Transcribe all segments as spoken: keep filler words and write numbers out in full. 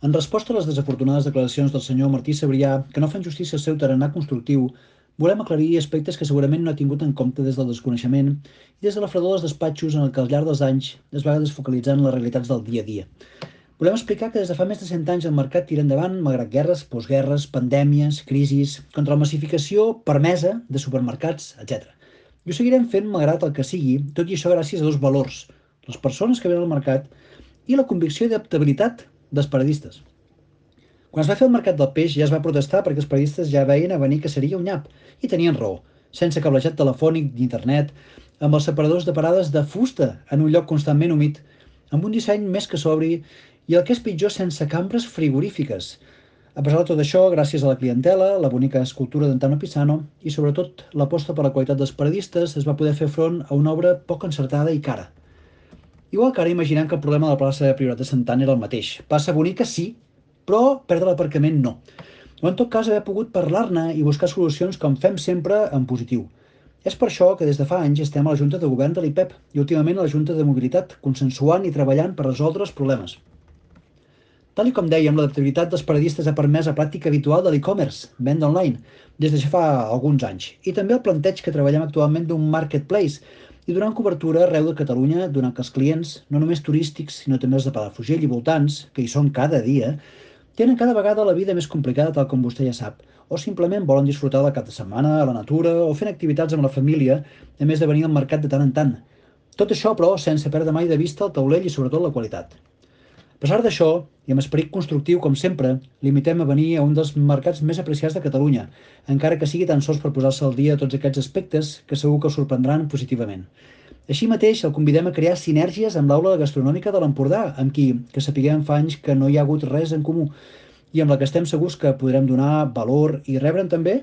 En resposta a les desafortunades declaracions del senyor Martí Sabrià, que no fan justícia al seu tarannà constructiu, volem aclarir aspectes que segurament no ha tingut en compte des del desconeixement i des de la fredor dels despatxos en el que al llarg dels anys es va desfocalitzar en les realitats del dia a dia. Volem explicar que des de fa més de cent anys el mercat tira endavant malgrat guerres, postguerres, pandèmies, crisis, contra la massificació permesa de supermercats, etcètera. I ho seguirem fent malgrat el que sigui, tot i això gràcies a dos valors, les persones que venen al mercat i la convicció d'adaptabilitat dels periodistes. Quan es va fer el mercat del peix ja es va protestar perquè els periodistes ja veien a venir que seria un nyap, i tenien raó, sense cablejat telefònic d'internet, amb els separadors de parades de fusta en un lloc constantment humit, amb un disseny més que sobri i el que és pitjor sense cambres frigorífiques. A pesar de tot això, gràcies a la clientela, la bonica escultura d'Antano Pisano i sobretot l'aposta per la qualitat dels periodistes es va poder fer front a una obra poc encertada i cara. Igual que ara imaginem que el problema de la plaça de Priorat de Santana era el mateix. Plaça bonica sí, però perdre l'aparcament no. O en tot cas haver pogut parlar-ne i buscar solucions com fem sempre en positiu. És per això que des de fa anys estem a la Junta de Govern de l'I P E P i últimament a la Junta de Mobilitat, consensuant i treballant per resoldre els problemes. Tal i com dèiem, l'adaptabilitat dels periodistes ha permès la pràctica habitual de l'e-commerce, venda online, des de ja fa alguns anys, i també el planteig que treballem actualment d'un marketplace i donant cobertura arreu de Catalunya, donant que els clients, no només turístics, sinó també els de Palafrugell i voltants, que hi són cada dia, tenen cada vegada la vida més complicada, tal com vostè ja sap, o simplement volen disfrutar del cap de setmana, a la natura, o fent activitats amb la família, a més de venir al mercat de tant en tant. Tot això, però, sense perdre mai de vista el taulell i sobretot la qualitat. A pesar d'això, i amb esperit constructiu com sempre, limitem a venir a un dels mercats més apreciats de Catalunya, encara que sigui tan sols per posar-se al dia tots aquests aspectes que segur que el sorprendran positivament. Així mateix, el convidem a crear sinergies amb l'aula gastronòmica de l'Empordà, amb qui, que sapiguem fa anys que no hi ha hagut res en comú, i amb la que estem segurs que podrem donar valor i rebre'n també,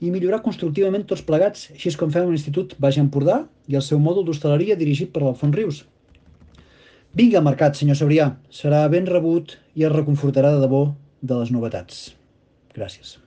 i millorar constructivament tots plegats, així com fem l'Institut Baix Empordà i el seu mòdul d'hostaleria dirigit per l'Alfons Rius. Vinga al mercat, senyor Sabrià. Serà ben rebut i es reconfortarà de debò de les novetats. Gràcies.